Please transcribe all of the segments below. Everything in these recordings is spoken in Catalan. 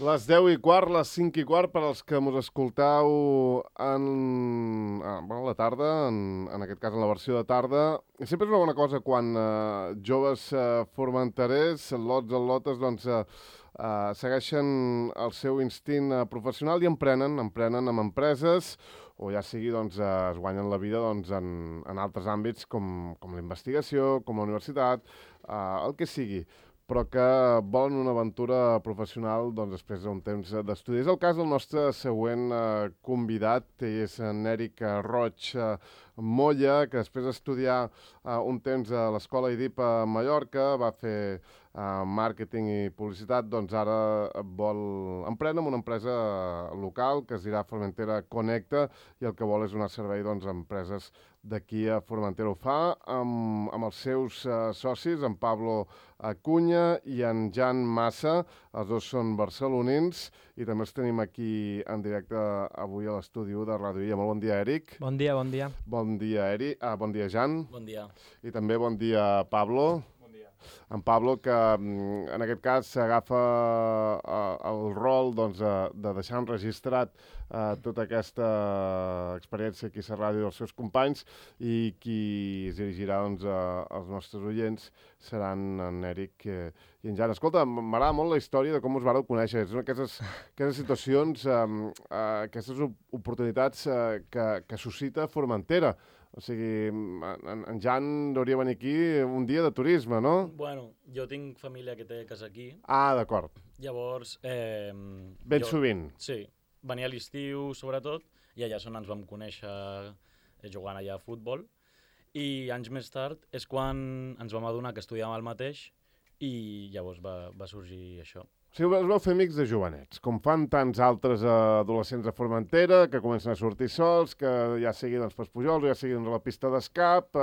Les 10:15, les 5:15, per als que mos escoltau la tarda, en aquest cas en la versió de tarda. Sempre és una bona cosa quan joves formenterers, lotes, doncs, segueixen el seu instint professional i emprenen amb empreses, o ja sigui, doncs, es guanyen la vida doncs, en altres àmbits com la investigació, com la universitat, el que sigui, però que volen una aventura professional doncs, després d'un temps d'estudi. És el cas del nostre següent convidat, és en Èric Roig Molla, que després d'estudiar un temps a l'Escola IDIP a Mallorca, va fer màrqueting i publicitat, doncs ara vol emprendre amb una empresa local que es dirà Formentera Connecta, i el que vol és donar servei doncs, a empreses d'aquí a Formentera. Ho fa amb els seus socis, en Pablo Acuña i en Jan Massa. Els dos són barcelonins i també els tenim aquí en directe avui a l'estudi de Ràdio Illa. Molt bon dia, Èric. Bon dia, bon dia. Bon dia, Èric. Bon dia, Jan. Bon dia. I també bon dia, Pablo. En Pablo, que en aquest cas s'agafa el rol doncs, de deixar enregistrat tota aquesta experiència aquí a la ràdio dels seus companys, i qui es dirigirà doncs, als nostres oients seran en Èric i en Jan. Escolta, m'agrada molt la història de com us vareu conèixer. És una d'aquestes situacions, aquestes oportunitats que suscita Formentera. O sigui, en Jan hauria venir aquí un dia de turisme, no? Bueno, jo tinc família que té casa aquí. Ah, d'acord. Llavors... Ben sovint. Sí, venia a l'estiu, sobretot, i allà és on ens vam conèixer jugant allà a futbol. I anys més tard és quan ens vam adonar que estudiàvem el mateix i llavors va sorgir això. O sigui, us vau fer amics de jovenets, com fan tants altres adolescents de Formentera, que comencen a sortir sols, que ja siguin doncs, pels pujols, ja siguin a la pista d'escap,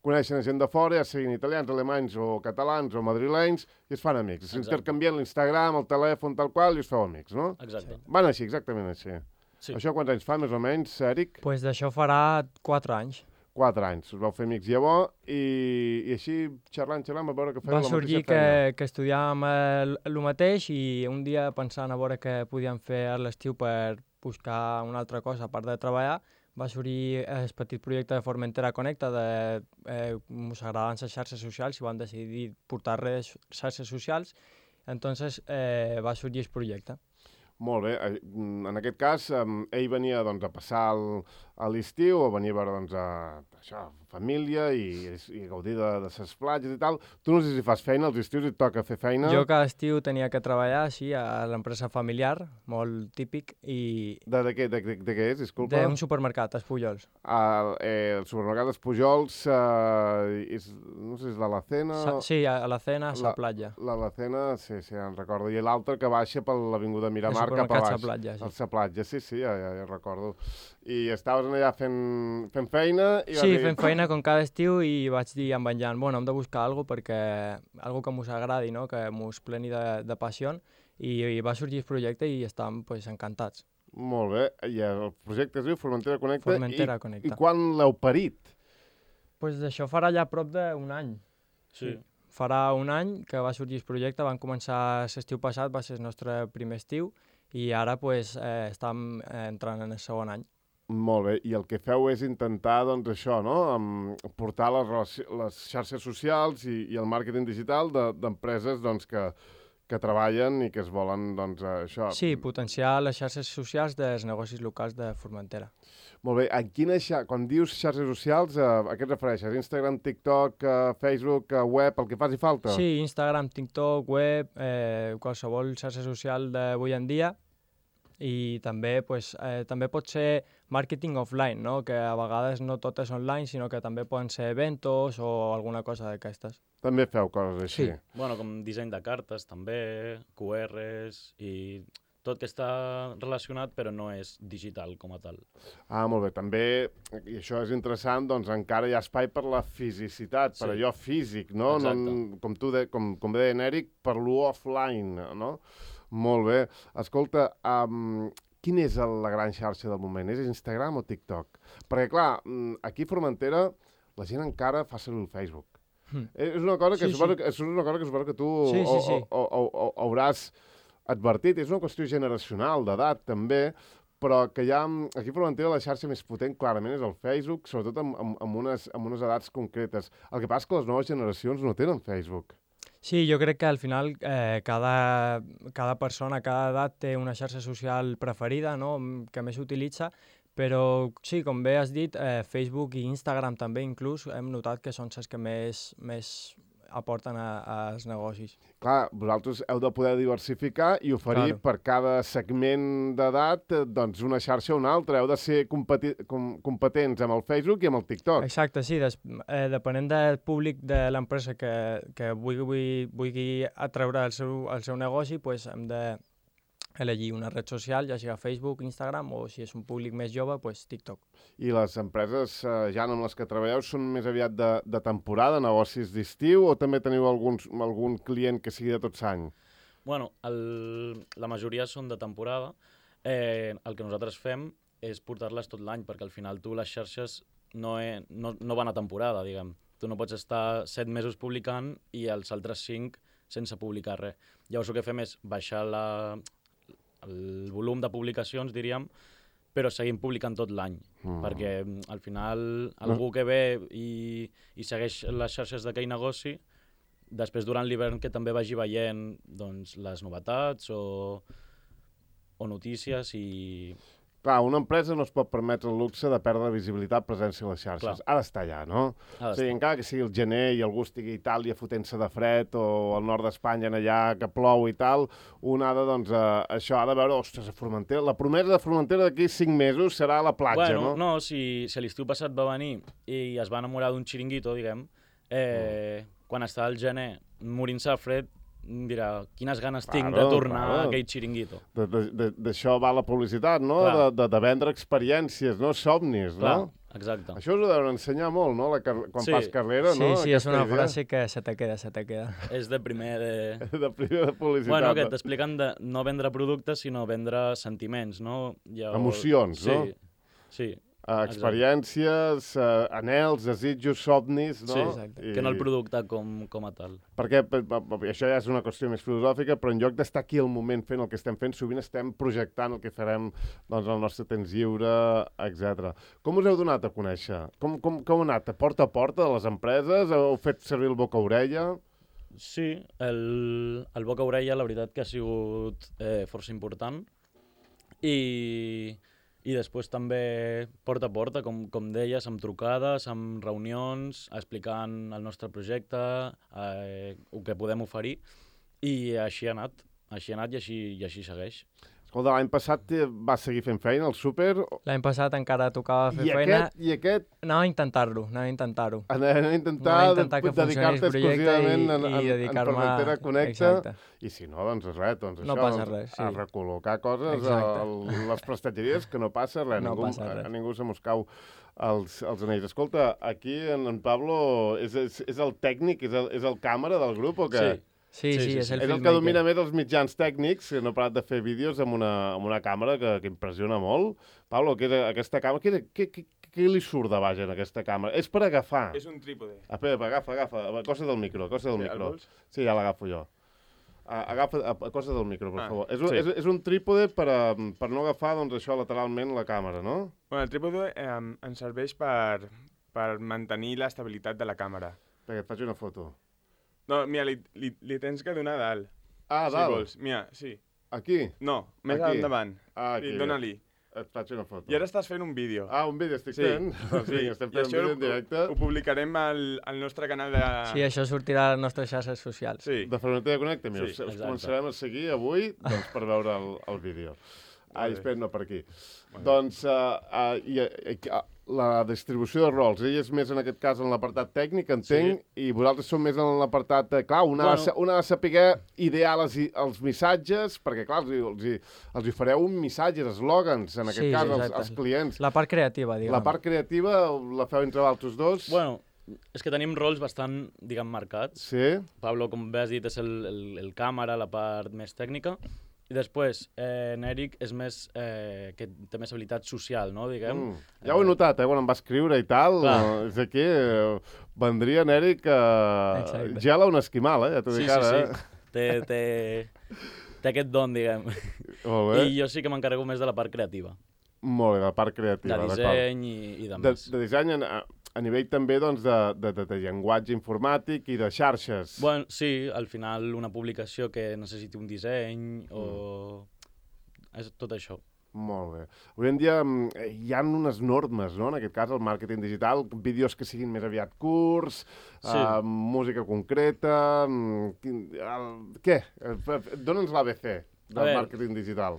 coneixen gent de fora, ja siguin italians, alemanys o catalans o madrilenys, i es fan amics. S'intercanvien l'Instagram, el telèfon, tal qual, i us feu amics, no? Exacte. Van així, exactament així. Sí. Això quants anys fa, més o menys, Èric? Pues d'això farà 4 anys. 4 anys. Us vau fer amics llavors i així xerrant, a veure que fèieu la mateixa feina. Va sorgir que estudiàvem el mateix i un dia pensant a veure què podíem fer a l'estiu per buscar una altra cosa a part de treballar, va sorgir el petit projecte de Formentera Connecta ens agradaven les xarxes socials i vam decidir portar xarxes socials, entonces va sorgir el projecte. Molt bé. En aquest cas, ell venia doncs, a passar l'estiu, o venia a veure doncs, família i gaudir de les platges i tal. Tu no sé si fas feina als estius i et toca fer feina. Jo cada estiu tenia que treballar així a l'empresa familiar, molt típic, i... De què és, disculpa? D'un supermercat, els Pujols. El supermercat dels Pujols, no sé si és l'Alacena... Sí, a l'Alacena, a la platja. L'Alacena, sí, en recordo. I l'altre que baixa per l'Avinguda Miramar cap a baix. El platja, sí. El platja, sí, ja recordo. I estaves allà fent feina... Sí, fent feina com cada estiu, i vaig dir amb en Jan, bueno, hem de buscar alguna cosa perquè algo que mos agradi, no? Que mos pleni de passió, i va sorgir el projecte i estàvem pues, encantats. Molt bé, i el projecte es diu Formentera Connecta. Formentera Connecta. I quan l'heu parit? Pues d'això farà ja prop d'un any. Sí. Farà un any que va sorgir el projecte, vam començar l'estiu passat, va ser el nostre primer estiu, i ara pues, estem entrant en el segon any. Molt bé, i el que feu és intentar, doncs, això, no? Portar les xarxes socials i el màrqueting digital d'empreses doncs, que treballen i que es volen, doncs, això... Sí, potenciar les xarxes socials dels negocis locals de Formentera. Molt bé, quan dius xarxes socials, a què et refereixes? Instagram, TikTok, Facebook, web, el que faci falta? Sí, Instagram, TikTok, web, qualsevol xarxa social d'avui en dia. I també, també pot ser màrqueting offline, no? Que a vegades no tot és online, sinó que també poden ser eventos o alguna cosa d'aquestes. També feu coses així? Sí. Bueno, com disseny de cartes també, QRs i tot que està relacionat però no és digital com a tal. Ah, molt bé. També, i això és interessant, doncs encara hi ha espai per la fisicitat, per allò físic, no? Exacte. Com bé deia en Èric, per l'offline, no? Molt bé. Escolta, quina és la gran xarxa del moment? És Instagram o TikTok? Perquè, clar, aquí a Formentera la gent encara fa servir el Facebook. És una cosa que suposo que tu hauràs advertit, és una qüestió generacional, d'edat també, però que ja aquí a Formentera la xarxa més potent clarament és el Facebook, sobretot amb unes edats concretes. El que passa és que les noves generacions no tenen Facebook. Sí, jo crec que al final cada persona, cada edat té una xarxa social preferida, no?, que més utilitza, però sí, com bé has dit, Facebook i Instagram també inclús hem notat que són les que més aporten als negocis. Clar, vosaltres heu de poder diversificar i oferir per cada segment d'edat doncs una xarxa o una altra. Heu de ser competents amb el Facebook i amb el TikTok. Exacte, sí. Depenent del públic de l'empresa que vulgui atreure el seu negoci, doncs hem de elegir una red social, ja sigui Facebook, Instagram, o si és un públic més jove, doncs TikTok. I les empreses ja amb les que treballeu són més aviat de temporada, negocis d'estiu, o també teniu algun client que sigui de tot l'any? Bueno, la majoria són de temporada. El que nosaltres fem és portar-les tot l'any, perquè al final les xarxes no van a temporada, diguem. Tu no pots estar 7 mesos publicant i els altres 5 sense publicar res. Llavors el que fem és baixar el volum de publicacions, diríem, però seguim publicant tot l'any, perquè al final algú que ve i segueix les xarxes d'aquell negoci, després durant l'hivern que també vagi veient doncs, les novetats o notícies i... Clar, una empresa no es pot permetre el luxe de perdre visibilitat, presència a les xarxes. Ha d'estar allà, no? O sigui, encara que sigui el gener i algú estigui a Itàlia fotent-se de fred o al nord d'Espanya allà que plou i tal, un ha de, doncs, això ha de veure, ostres, a Formentera, la promesa de Formentera d'aquí 5 mesos serà a la platja, no? No, si l'estiu passat va venir i es va enamorar d'un xiringuito, diguem, quan està al gener morint-se de fred, dirà, quines ganes tinc de tornar a aquell xiringuito. D'això va la publicitat, no? De vendre experiències, no? Somnis, no? Exacte. Això us ho deuen ensenyar molt, no? Quan fas carrera, no? Sí, és una frase que se te queda. És de primer de... De primer de publicitat. Bueno, que t'expliquen de no vendre productes, sinó vendre sentiments, no? Emocions, no? Sí. Experiències, anhels, desitjos, somnis, no? Sí, exacte. Que no el producte com a tal. Perquè això ja és una qüestió més filosòfica, però en lloc d'estar aquí al moment fent el que estem fent, sovint estem projectant el que farem doncs, al nostre temps lliure, etc. Com us heu donat a conèixer? Com ha anat? A porta de les empreses? Heu fet servir el boca-orella? Sí, el boca-orella la veritat que ha sigut força important. I després també porta a porta, com deies, amb trucades, amb reunions, explicant el nostre projecte, el que podem oferir, i així ha anat i així segueix. Escolta, l'any passat vas seguir fent feina al súper? L'any passat encara tocava fer feina. I aquest? Anava a intentar-ho. Anava a intentar que dedicar-te exclusivament en Formentera Connecta. I si no, doncs res, no passa res, a recol·locar coses a les prestatgeries, que no passa res. A ningú se mos cau els anells. Escolta, aquí en Pablo és el tècnic, és el càmera del grup o què? Sí, és el filmmaker. És el que domina més els mitjans tècnics, que no ha parat de fer vídeos amb una càmera que impressiona molt. Pablo, aquesta càmera, què li surt de baix en aquesta càmera? És per agafar. És un trípode. Espera, agafa. Cosa del micro. Sí, ja l'agafo jo. Agafa cosa del micro, per favor. És un trípode per no agafar doncs, això lateralment la càmera, no? Bueno, el trípode ens serveix per mantenir l'estabilitat de la càmera. Perquè et faig una foto. No, mira, li tens que donar a dalt. Ah, a dalt? Si vols. Mira, sí. Aquí? No, més endavant. Aquí. Dóna-li. Et faig una foto. I ara estàs fent un vídeo. Un vídeo estic fent. Sí, estem fent un vídeo en directe. Ho publicarem al nostre canal de... Sí, això sortirà a les nostres xarxes socials. Sí. De Formentera Connecta. Mira, us començarem a seguir avui per veure el vídeo. Espera, no, per aquí. Doncs la distribució de rols, ell és més en aquest cas en l'apartat tècnic, entenc, i vosaltres sou més en l'apartat... Clar, una ha de saber idear els missatges, perquè clar, els fareu missatges, eslògans, en aquest cas, als clients. La part creativa, diguem. La part creativa la feu entre vosaltres dos? Bueno, és que tenim rols bastant, diguem, marcats. Sí. Pablo, com bé has dit, és el càmera, la part més tècnica. I després, Eric és més, que té més habilitat social, no, diguem. Ja ho he notat, quan em va escriure i tal, és aquí, vendria en Eric gela un esquimal, ja t'ho dic ara. Sí. té aquest don, diguem. Molt bé. I jo sí que m'encarrego més de la part creativa. Molt bé, de la part creativa. De disseny i de més. De disseny a nivell també doncs, de llenguatge informàtic i de xarxes. Bueno, sí, al final una publicació que necessiti un disseny o... És tot això. Molt bé. Avui en dia hi ha unes normes, no? En aquest cas, el màrqueting digital, vídeos que siguin més aviat curts, Sí. música concreta... Què? Dóna'ns l'ABC del màrqueting digital.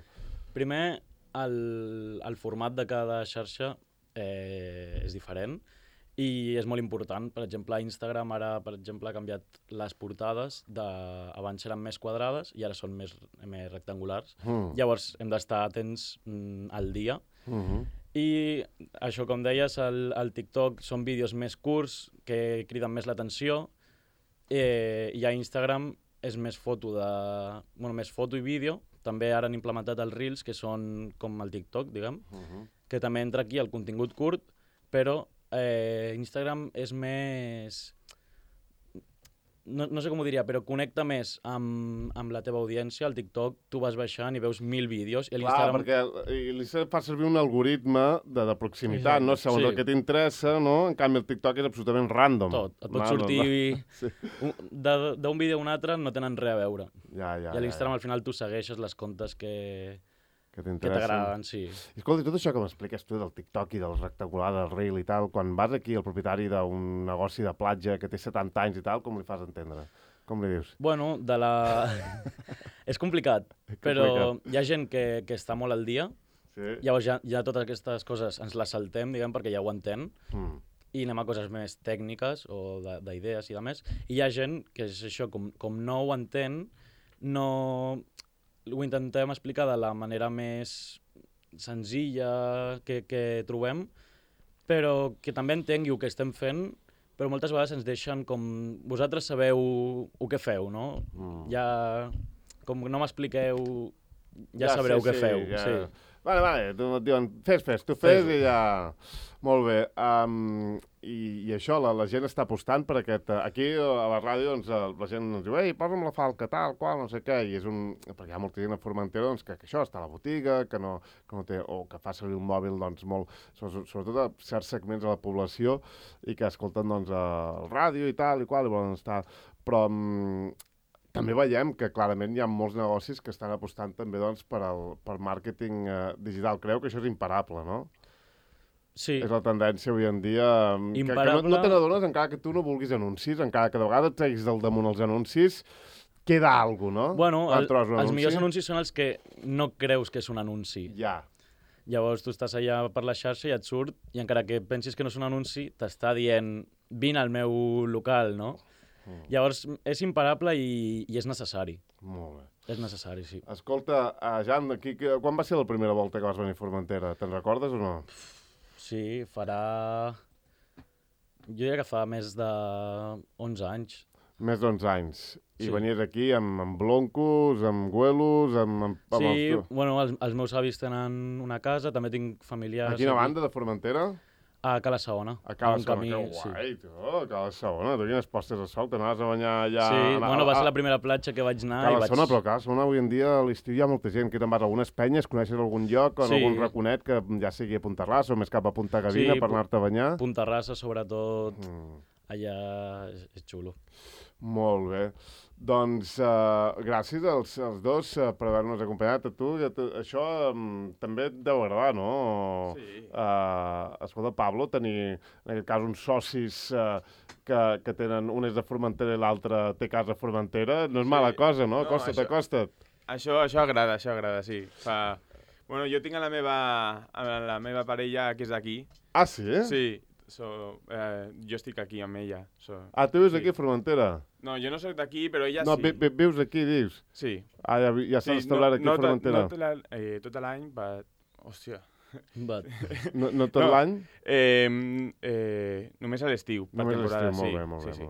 Primer, el format de cada xarxa és diferent i és molt important. Per exemple, Instagram ara, per exemple, ha canviat les portades. Abans eren més quadrades i ara són més rectangulars. Llavors hem d'estar atents al dia. I això, com deies, el TikTok són vídeos més curts que criden més l'atenció i a Instagram és més foto i vídeo. També ara han implementat els Reels, que són com el TikTok, diguem, que també entra aquí el contingut curt, però Instagram és més... No sé com ho diria, però connecta més amb la teva audiència. Al TikTok tu vas baixant i veus 1000 vídeos. I Clar, perquè l'Instagram fa servir un algoritme de proximitat, no? Segons el que t'interessa, no? En canvi, el TikTok és absolutament random. Tot. Et pot sortir... D'un vídeo a un altre no tenen res a veure. I a l'Instagram, al final, tu segueixes les comptes que t'agraden, sí. I escolta, tot això que m'expliques tu del TikTok i del rectangular, del Reel i tal, quan vas aquí al propietari d'un negoci de platja que té 70 anys i tal, com li fas entendre? Com li dius? Bueno, és complicat, però hi ha gent que està molt al dia, llavors ja totes aquestes coses ens les saltem, diguem, perquè ja ho entén, i anem a coses més tècniques o d'idees i de més, i hi ha gent que és això, com no ho entén, ho intentem explicar de la manera més senzilla que trobem, però que també entengui el que estem fent, però moltes vegades ens deixen com... Vosaltres sabeu el que feu, no? Ja... Com no m'expliqueu, ja sabreu què feu. Sí. Vale, et diuen, fes, tu fes i ja... Molt bé. I això, la gent està apostant per aquest... Aquí, a la ràdio, doncs, la gent ens diu, ei, posa'm la falca, tal, qual, no sé què, i és un... Perquè hi ha molta gent a Formentera, doncs, que això està a la botiga, que no té... O que fa servir un mòbil, doncs, molt... Sobretot a certs segments de la població i que escolten, doncs, el ràdio i tal, i qual, i volen estar... Però... També veiem que clarament hi ha molts negocis que estan apostant també doncs, per màrqueting digital. Creu que això és imparable, no? Sí. És la tendència avui en dia. Imparable. Que no te n'adones, encara que tu no vulguis anuncis, encara que de vegades et treguis del damunt els anuncis, queda alguna cosa, no? Bueno, els millors anuncis són els que no creus que és un anunci. Ja. Llavors tu estàs allà per la xarxa i et surt, i encara que pensis que no és un anunci, t'està dient, vine al meu local, no? Llavors, és imparable i és necessari. Molt bé. És necessari, sí. Escolta, Jan, quan va ser la primera volta que vas venir a Formentera? Te'n recordes o no? Sí, farà... Jo diria que fa més de 11 anys. Més d'11 anys. I venies aquí amb bloncos, amb güelos, amb... Sí, bueno, els meus avis tenen una casa, també tinc familiars... A quina banda de Formentera? A Cala Saona. A Cala Saona, que guai, tu, a Cala Saona. Tu quines postes de sol, t'anaves a banyar allà... Sí, bueno, va ser la primera platja que vaig anar i vaig... Saona, però Cala Saona avui en dia a l'estiu hi ha molta gent. Que te'n vas a algunes penyes, coneixes algun lloc o algun raconet que ja sigui a Punta Rassa o més cap a Punta Gavina per anar-te a banyar? Punta Rassa, sobretot, allà és xulo. Molt bé. Doncs gràcies als dos per haver-nos acompanyat. A tu, això també et deu agradar, no? Sí. Escolta, Pablo, tenir, en aquest cas, uns socis que tenen... Un és de Formentera i l'altre té casa a Formentera. No és mala cosa, no? Acosta't. Això agrada, sí. Bueno, jo tinc a la meva parella que és d'aquí. Ah, sí? Sí. Jo estic aquí amb ella. Tu vius aquí a Formentera? No, jo no soc d'aquí, però ella sí. No, vius aquí, dius? Sí. Ja s'ha establert aquí a Formentera? No tot l'any, hòstia. No tot l'any? Només a l'estiu. Només a l'estiu, molt bé.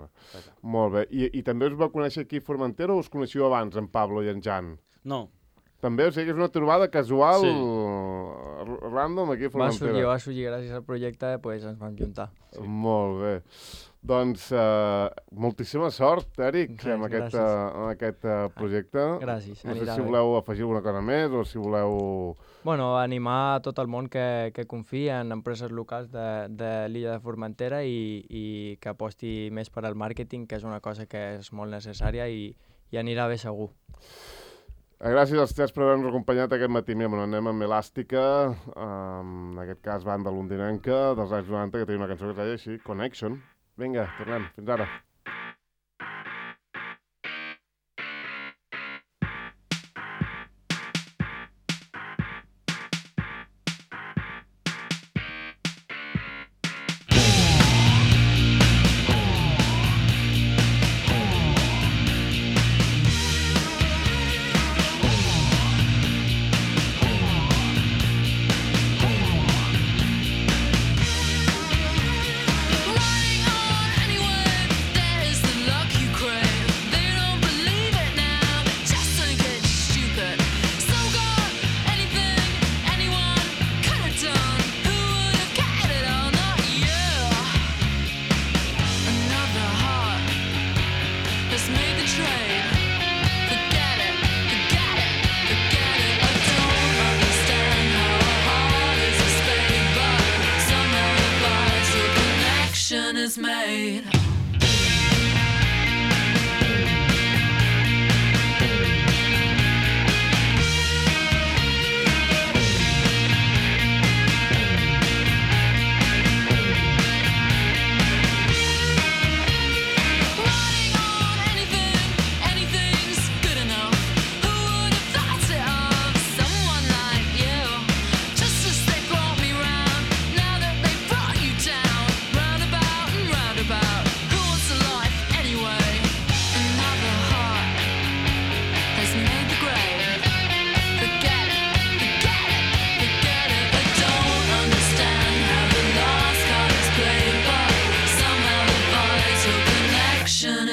Molt bé. I també us va conèixer aquí a Formentera o us coneixíeu abans, en Pablo i en Jan? No. També, o sigui que és una trobada casual, random aquí a Formentera. Va sorgir gràcies al projecte, doncs ens vam juntar. Sí. Molt bé. Doncs moltíssima sort, Eric, amb aquest projecte. Gràcies. No sé si voleu afegir alguna cosa més o si voleu... Bueno, animar tot el món que confia en empreses locals de l'illa de Formentera i que aposti més per al màrqueting, que és una cosa que és molt necessària i anirà bé segur. Gràcies als tres per haver-nos acompanyat aquest matí. Mira, anem amb Elàstica, en aquest cas banda londinenca dels anys 90, que tenim una cançó que es deia així, Connection. Vinga, tornem. Fins ara. Is made.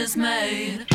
Is made.